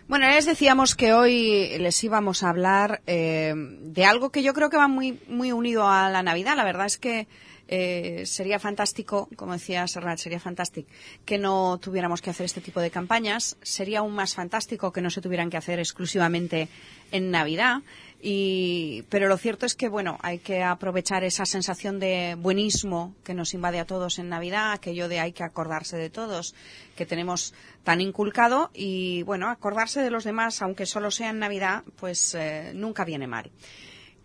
Bueno, les decíamos que hoy les íbamos a hablar de algo que yo creo que va muy unido a la Navidad. La verdad es que sería fantástico, como decía Serrat, sería fantástico que no tuviéramos que hacer este tipo de campañas. Sería aún más fantástico que no se tuvieran que hacer exclusivamente en Navidad. Pero lo cierto es que, bueno, hay que aprovechar esa sensación de buenismo que nos invade a todos en Navidad, aquello de hay que acordarse de todos, que tenemos tan inculcado, y, bueno, acordarse de los demás, aunque solo sea en Navidad, pues nunca viene mal.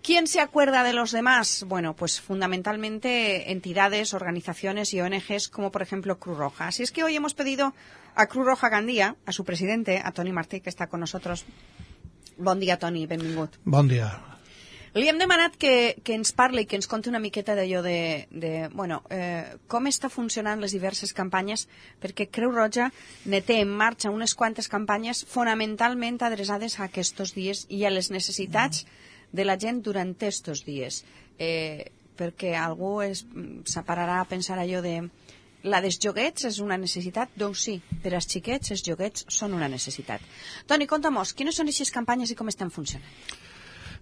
¿Quién se acuerda de los demás? Bueno, pues fundamentalmente entidades, organizaciones y ONGs como por ejemplo Cruz Roja. Así es que hoy hemos pedido a Cruz Roja Gandía, a su presidente, a Toni Martí, que està con nosotros. Bon dia, Toni, benvingut. Bon dia. Li hem demanat que ens parli i que ens conti una miqueta d'allò com està funcionant les diverses campanyes, perquè Creu Roja ne té en marxa unes quantes campanyes fonamentalment adreçades a aquests dies i a les necessitats de la gent durant aquests dies. Perquè algú s'apararà a pensar allò de la dels joguets és una necessitat, doncs sí, per als xiquets els joguets són una necessitat. Toni, conta'm-nos, quines són aquestes campanyes i com estan funcionant?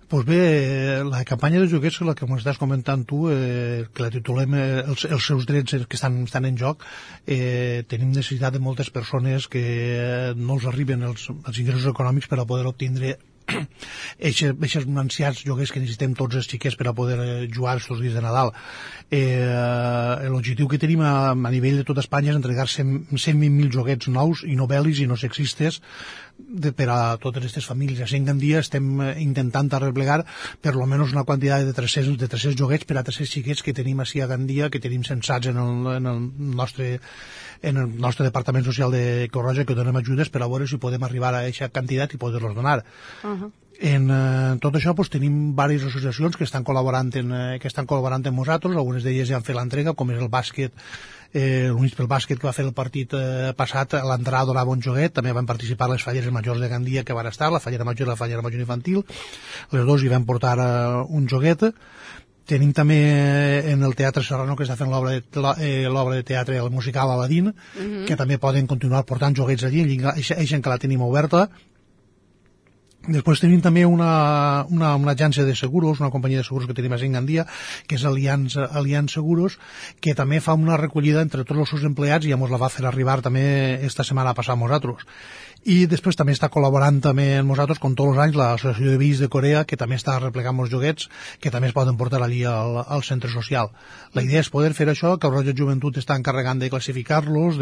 Pues bé, la campanya de joguets, la que m'estàs comentant tu, que la titulem els seus drets que estan en joc, tenim necessitat de moltes persones que no els arriben els ingressos econòmics per a poder obtindre aquests ancians joguers que necessitem tots els xiquets per a poder jugar aquests dies de Nadal. L'objectiu que tenim a nivell de tot Espanya és entregar 120.000 joguets nous i no bèl·lics i no sexistes per a totes aquestes famílies. Així en dia estem intentant arreplegar per almenys una quantitat de 300 joguets per a 300 xiquets que tenim així a Gandia, que tenim censats en el nostre Departament Social de Creu Roja, que donem ajudes per a veure si podem arribar a aquesta quantitat i poder-los donar. En tot això tenim diverses associacions que estan col·laborant amb nosaltres. Algunes d'elles ja han fet l'entrega, com és el bàsquet, l'Units pel Bàsquet, que va fer el partit passat. A l'entrada donava un joguet. També van participar les falleres majors de Gandia que van estar, la fallera major i la fallera major infantil. Les dues hi van portar un joguet. Tenim també en el Teatre Serrano, que està fent l'obra de teatre, el musical Aladín, que també poden continuar portant joguets allí, eixa que la tenim oberta. Després tenim també una agència de seguros, una companyia de seguros que tenim a Gandia, que és Allianz Seguros, que també fa una recollida entre tots els seus empleats i ja ens la va fer arribar també esta setmana passada a nosaltres. I després també està col·laborant també amb nosaltres, com tots els anys, l'Associació de Veïns de Corea, que també està replegant els joguets, que també es poden portar allí al centre social. La idea és poder fer això, que el Roja Joventut està encarregant de classificar-los,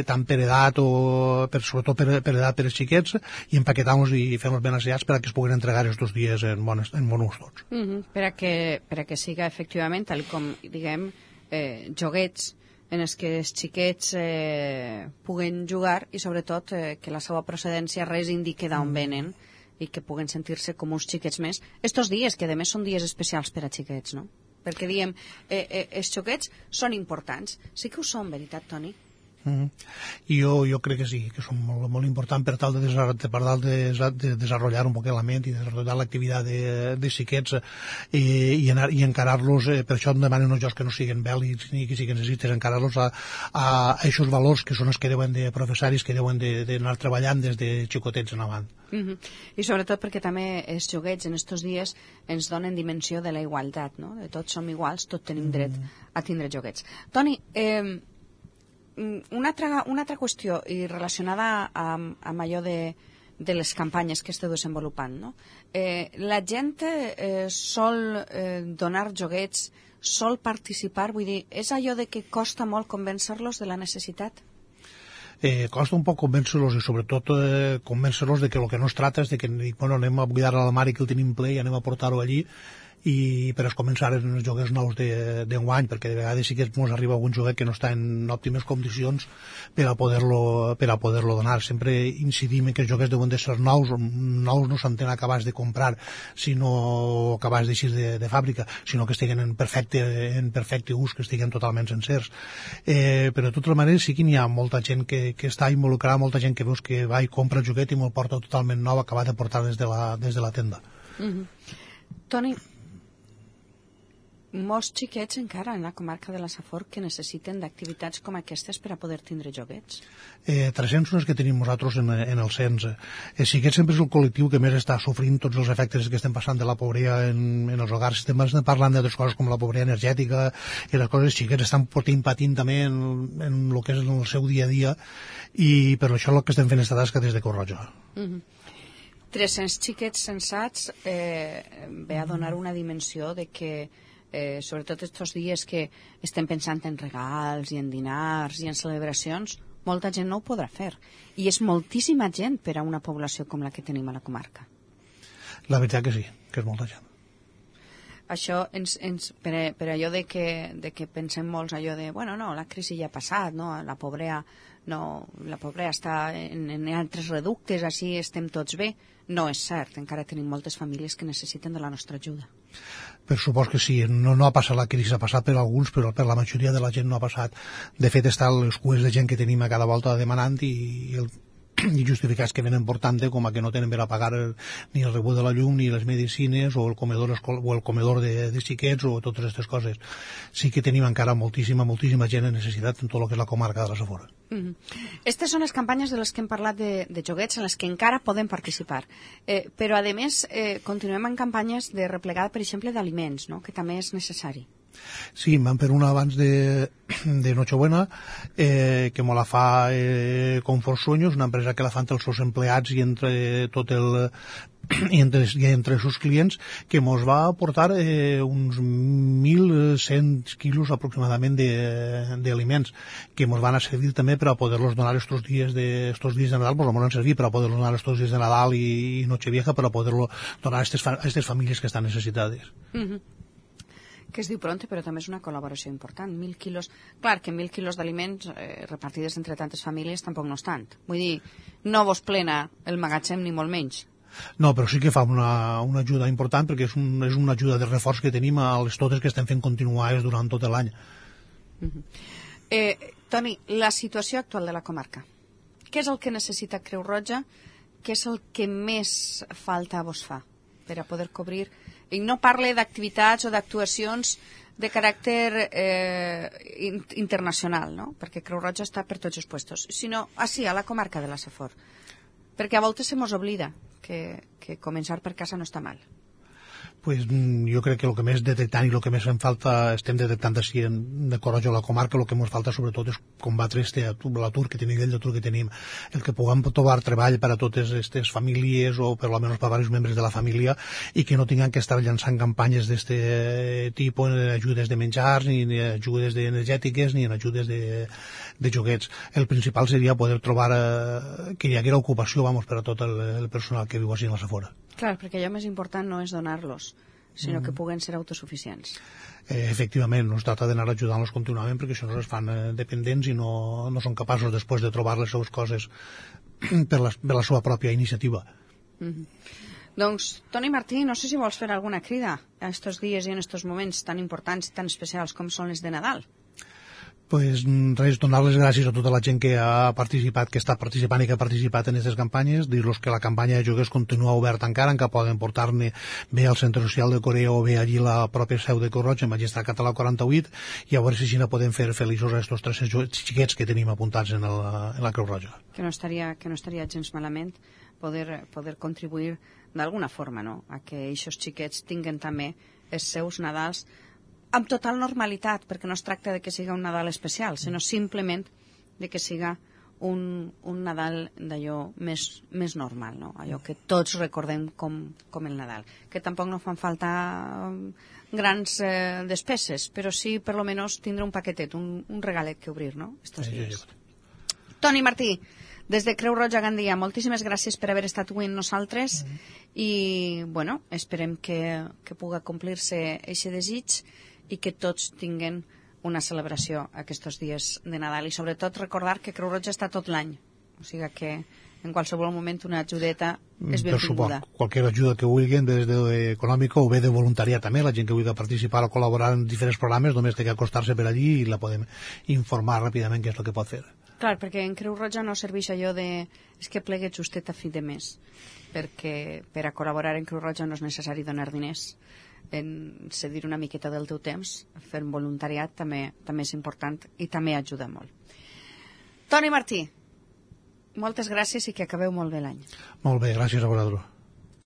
tant per edat o sobretot per edat per als xiquets, i empaquetar-los i fer-los ben assaiats per a que es puguin entregar aquests dies en bon ús tots. Per a que siga efectivament, tal com diguem, joguets en els que els xiquets puguen jugar i sobretot que la seva procedència res indique d'on venen i que puguen sentir-se com uns xiquets més. Estos dies, que a més són dies especials per a xiquets, no? Perquè diem, els joguets són importants. Sí que ho són, veritat, Toni? I jo crec que sí, que són molt importants per tal de desenvolupar un poc la ment i desenvolupar l'activitat de xiquets i encarar-los. Per això em demanen uns jocs que no siguin bèl·lics ni que siguin sexistes, encarar-los a aquests valors que són els que deuen de professar i que deuen d'anar treballant des de xicotets en avant. I sobretot perquè també els joguets en aquests dies ens donen dimensió de la igualtat, no? De tots som iguals, tots tenim dret a tindre joguets. Toni, una altra qüestió i relacionada amb allò de les campanyes que esteu desenvolupant, no? La gent sol donar joguets, sol participar, vull dir, és allò de que costa molt convèncer-los de la necessitat? Costa un poc convèncer-los i sobretot convèncer-los de que el que no es tracta és de que anem a buidar a l'armari que el tenim ple i anem a portar-ho allí i per començar en els joguets nous d'enguany, perquè de vegades sí que ens arriba algun joguet que no està en òptimes condicions per a poder-lo donar. Sempre incidim que els joguets deuen de ser nous no s'entén acabats de comprar, sinó acabats d'eixir de fàbrica, sinó que estiguen en perfecte ús, que estiguen totalment sencers. Però de totes maneres sí que n'hi ha molta gent que està involucrada, molta gent que veus que va i compra el joguet i me'l porta totalment nou, acabat de portar des de la tenda. Toni, molts xiquets encara en la comarca de la Safor que necessiten d'activitats com aquestes per a poder tindre joguets. 300 són els que tenim nosaltres en el cens. Sí que sempre és el col·lectiu que més està sofrint tots els efectes que estem passant de la pobresa en els hogars. Estem parlant d'altres coses com la pobresa energètica i les coses xiquets estan patint també en el que és el seu dia a dia, i per això el que estem fent esta tasca des de Creu Roja. 300 xiquets censats ve a donar una dimensió de que sobretot estos dies que estem pensant en regals i en dinars i en celebracions, molta gent no ho podrà fer. I és moltíssima gent per a una població com la que tenim a la comarca. La veritat que sí, que és molta gent. Això, per allò de que pensem molts allò de, bueno, no, la crisi ja ha passat, no? La pobresa està en altres reductes, així estem tots bé. No és cert, encara tenim moltes famílies que necessiten de la nostra ajuda. Per supost que sí, no ha passat la crisi, ha passat per alguns, però per la majoria de la gent no ha passat. De fet, estan les cues de gent que tenim a cada volta demanant i justificats que venen portant com a que no tenen per a pagar ni el rebut de la llum, ni les medicines, o el comedor de xiquets, o totes aquestes coses. Sí que tenim encara moltíssima gent en necessitat en tot el que és la comarca de la Safor. Aquestes són les campanyes de les que hem parlat de joguets, en les que encara podem participar. Però, a més, continuem en campanyes de replegada, per exemple, d'aliments, no? Que també és necessari. Sí, vam per una abans de Nochebuena, que me la fa Confort Sueños, una empresa que la fan els seus empleats i entre tot el i entre els seus clients, que ens va aportar uns 1.100 quilos aproximadament d'aliments, que ens van a servir també per a poder-los donar estos dies de Nadal, ens van servir per a poder-los donar estos dies de Nadal i Nochevieja, per a poder-lo donar a aquestes famílies que estan necessitades. Que es diu pronte, però també és una col·laboració important. 1.000 quilos... Clar, que 1.000 quilos d'aliments repartides entre tantes famílies tampoc no és tant. Vull dir, no vos plena el magatzem ni molt menys. No, però sí que fa una ajuda important, perquè és una ajuda de reforç que tenim a les totes que estem fent continuades durant tot l'any. Toni, la situació actual de la comarca. Què és el que necessita Creu Roja? Què és el que més falta vos fa per a poder cobrir? I no parle d'activitats o d'actuacions de caràcter internacional, no? Perquè Creu Roja està per tots els puestos, sinó així, a la comarca de la Safor. Perquè a voltes se mos oblida que començar per casa no està mal. Pues jo crec que el que més detectant i el que més en falta estem detectant així de Creu Roja a la comarca, el que ens falta sobretot és combatre l'atur que tenim, el d'atur que tenim, el que puguem trobar treball per a totes aquestes famílies o per almenys per a diversos membres de la família i que no tinguem que estar llançant campanyes d'aquest tipus, ni ajudes de menjars, ni ajudes energètiques, ni en ajudes de joguets. El principal seria poder trobar que hi haguera ocupació per a tot el personal que viu així en la Safor. Clar, perquè allò més important no és donar-los, sinó que puguen ser autosuficients. Efectivament, no es tracta d'anar ajudant-los contínuament perquè això no es fan dependents i no són capaços després de trobar les seves coses per la seva pròpia iniciativa. Doncs, Toni Martí, no sé si vols fer alguna crida a estos dies i en estos moments tan importants i tan especials com són els de Nadal. Pues res, donar les gràcies a tota la gent que ha participat, que està participant i que ha participat en aquestes campanyes, dir-los que la campanya de joguers continua oberta encara, que poden portar-ne bé al Centre Social de Corea o bé allí la pròpia seu de Creu Roja, en Magistrat Català 48, i a veure si així podem fer feliços a estos 300 xiquets que tenim apuntats en la Creu Roja. Que no estaria gens malament poder contribuir d'alguna forma, no?, a que aquests xiquets tinguen també els seus Nadals amb total normalitat, perquè no es tracta de que siga un Nadal especial, sinó simplement de que siga un Nadal d'allò més normal, no? Allò que tots recordem com el Nadal. Que tampoc no fan falta grans despeses, però sí, per lo menos, tindre un paquetet, un regalet que obrir, no?, estos dies. Toni Martí, des de Creu Roja Gandia, moltíssimes gràcies per haver estat avui amb nosaltres i, bueno, esperem que puga complir-se aquest desig i que tots tinguen una celebració aquests dies de Nadal i sobretot recordar que Creu Roja està tot l'any, o sigui que en qualsevol moment una ajudeta és benvinguda. Qualsevol ajuda que vulguin, des d'econòmica o bé de voluntariat també, la gent que vulgui participar o col·laborar en diferents programes, només té que acostar-se per allí i la podem informar ràpidament què és el que pot fer. Clar, perquè en Creu Roja no serveix allò de és que plegue justet a fi de mes, perquè per a col·laborar en Creu Roja no és necessari donar diners. en cedir una miqueta del teu temps, fer un voluntariat també és important i també ajuda molt. Toni Martí, moltes gràcies i que acabeu molt bé l'any. Molt bé, gràcies a vosaltres.